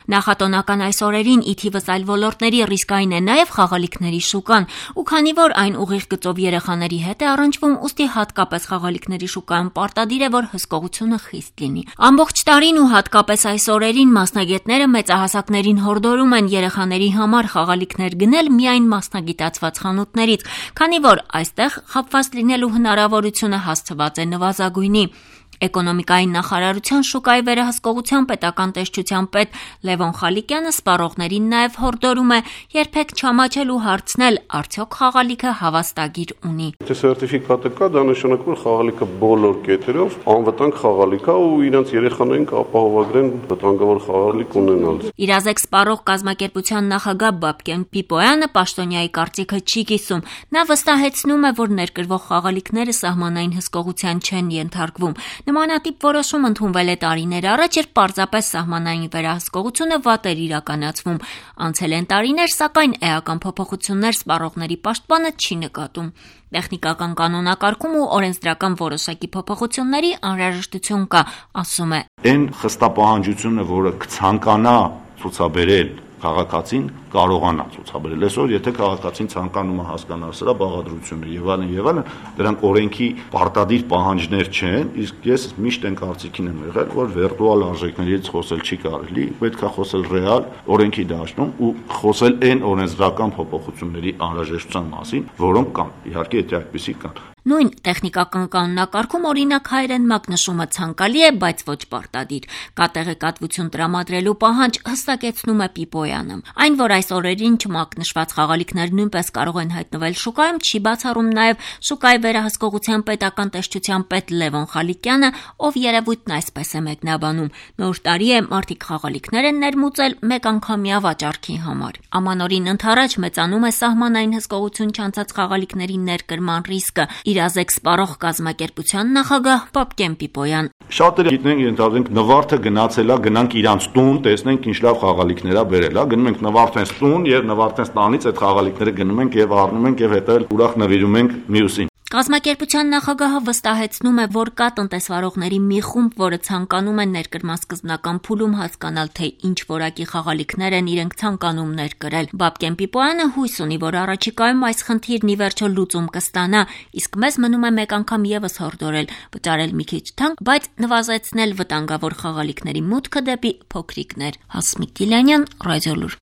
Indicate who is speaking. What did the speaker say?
Speaker 1: Նախատոնական այս օրերին ի թիվս այլ ոլորտների ռիսկային է նաև խաղալիքների շուկան, ու քանի որ այն ուղիղ գծով երեխաների հետ է առնչվում, ուստի հատկապես խաղալիքների շուկայում պարտադիր է, որ հսկողությունը խիստ լինի։ Ամբողջ տարին ու հատկապես այս օրերին մասնագետները մեծահասակներին հորդորում են երեխաների համար խաղալիքներ գնել միայն մասնագիտացված խանութներից, քանի որ այստեղ խաբված լինելու հնարավորությունը հասցված է նվազագույնի։ Էկոնոմիկայի նախարարության շուկայի վերահսկողության պետական տեսչության պետ Լևոն Խալիկյանը սպառողներին նաև հորդորում է երբեք չամաչել ու հարցնել, արդյոք խաղալիքը հավաստագիր ունի։
Speaker 2: Եթե սերտիֆիկատը կա, դա նշանակում է խաղալիքը բոլոր կետերով անվտանգ խաղալիք է ու իրենց երեխաներին կապահովագրեն վտանգավոր խաղալիք ունենալ։
Speaker 1: Իրազեկ սպառող կազմակերպության նախագահ Բաբկեն Պիպոյանը պաշտոնյայի կարծիքը չի կիսում։ Նա վստահեցնում է, որ ներկրվող խաղալիքները սահմանային հսկողության չեն ենթարկվում։ Նմանատիպ որոշում ընդունվել է տարիներ առաջ, երբ պարզապես սահմանային վերահսկողությունը վատ էր իրականացվում։ Անցել են տարիներ, սակայն էական փոփոխություններ սպառողների պաշտպանը չի նկատում։ Տեխնիկական կանոնակարգում ու օրենսդրական որոշակի փոփոխությունների անհրաժեշտություն կա, ասում է։
Speaker 3: Այն խստապահանջությունը, որը կցանկանա ցուցաբերել քաղաքացին, կարողանա ցուցաբերել։ Այսօր եթե քաղաքացին ցանկանում է հասկանալ սրա բաղադրությունը եւ այլն, դրանք օրենքի պարտադիր պահանջներ չեն, իսկ ես միշտ այն կարծիքին եմ եղել, որ վիրտուալ արժեքներից խոսել չի կարելի, պետք է խոսել ռեալ օրենքի դաշտում ու խոսել այն օրենսդրական փոփոխությունների անհրաժեշտության մասին, որոնք կան։ Իհարկե, եթե այդպիսի կան։
Speaker 1: Նույն տեխնիկական կանոնակարգում օրինակ հայերեն մակնշումը ցանկալի է, բայց ոչ պարտադիր։ Կա տեղեկատվություն տրամադրելու պահանջ, հստակեցնում է Պիպոյանը։ Այն, որ այս օրերին չմակնշված խաղալիքներ նույնպես կարող են հայտնվել շուկայում, չի բացառում նաև շուկայի վերահսկողության պետական տեսչության պետ Լևոն Խալիկյանը, ով երևույթն այսպես է մեկնաբանում։ Նոր տարի է, մարդիկ խաղալիքներ են ներմուծել մեկանգամյա վաճառքի համար։ Ամանորին ընդառաջ մեծանում է սահմանային հսկողություն չանցած խաղալիքների ներկրման ռիսկը։ Իրազեկ սպառող կազմակերպության նախագահ Բաբկեն Պիպոյան։
Speaker 3: Շատերը գիտենք, ենթադրենք նվարդը գնացել է, գնանք իրանց տուն, տեսնենք ինչ լավ խաղալիքներ է բերել, գնում ենք նվարդենց տուն եւ նվարդենց տանից այդ խաղալիքները գնում ենք եւ առնում ենք եւ հետո ուրախ նվիրում ենք մյուսին։
Speaker 1: Կազմակերպության նախագահը վստահեցնում է, որ կա տնտեսվարողների մի խումբ, որը ցանկանում է ներկրման սկզբնական փուլում հասկանալ, թե ինչ որակի խաղալիքներ են իրենք ցանկանում ներկրել։ Բաբկեն Պիպոյանը հույս ունի, որ առաջիկայում այս խնդիրն ի վերջո լուծում կստանա, իսկ մեզ մնում է մեկ անգամ եւս հորդորել, վճարել մի քիչ թանկ, բայց նվազեցնել վտանգավոր խաղալիքների մուտքը դեպի փոքրիկներ։ Հասմիկ Գիլանյան, Ռադիոլուր։